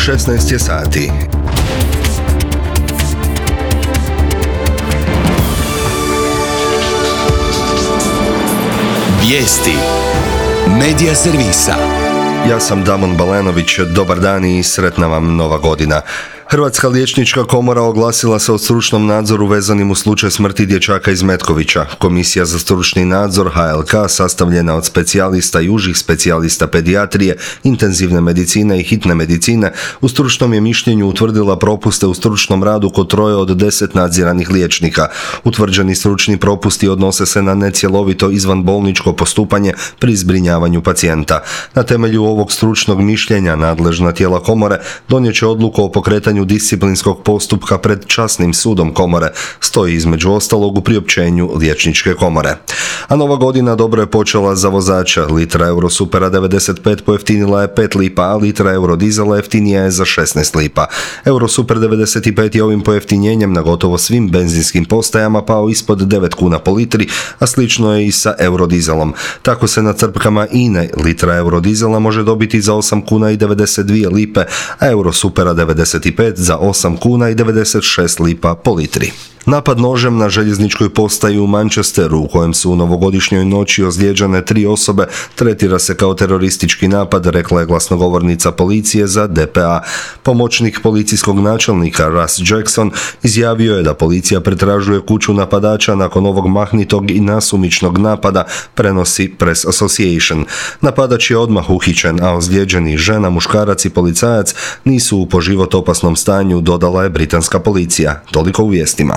16 je sati. Vijesti Medija servisa. Ja sam Damon Balenović, dobar dan i sretna vam nova godina. Hrvatska liječnička komora oglasila se o stručnom nadzoru vezanim u slučaj smrti dječaka iz Metkovića. Komisija za stručni nadzor HLK, sastavljena od specijalista i užih specijalista pedijatrije, intenzivne medicine i hitne medicine, u stručnom je mišljenju utvrdila propuste u stručnom radu kod 3 od 10 nadziranih liječnika. Utvrđeni stručni propusti odnose se na necjelovito izvanbolničko postupanje pri zbrinjavanju pacijenta. Na temelju ovog stručnog mišljenja nadležna tijela komore donijet će odluku o pokretanju disciplinskog postupka pred časnim sudom komore, stoji između ostalog u priopćenju liječničke komore. A nova godina dobro je počela za vozača. Litra Eurosupera 95 pojeftinila je 5 lipa, a litra Eurodizela jeftinija je za 16 lipa. Eurosuper 95 je ovim pojeftinjenjem na gotovo svim benzinskim postajama pao ispod 9 kuna po litri, a slično je i sa Eurodizelom. Tako se na crpkama INE litra Eurodizela može dobiti za 8 kuna i 92 lipe, a Eurosupera 95 za 8 kuna i 96 lipa po litri. Napad nožem na željezničkoj postaji u Manchesteru, u kojem su u novogodišnjoj noći ozlijeđene 3 osobe, tretira se kao teroristički napad, rekla je glasnogovornica policije za DPA. Pomoćnik policijskog načelnika Russ Jackson izjavio je da policija pretražuje kuću napadača nakon ovog mahnitog i nasumičnog napada, prenosi Press Association. Napadač je odmah uhićen, a ozlijeđeni žena, muškarac i policajac nisu u po život opasnom stanju, dodala je britanska policija. Toliko u vijestima.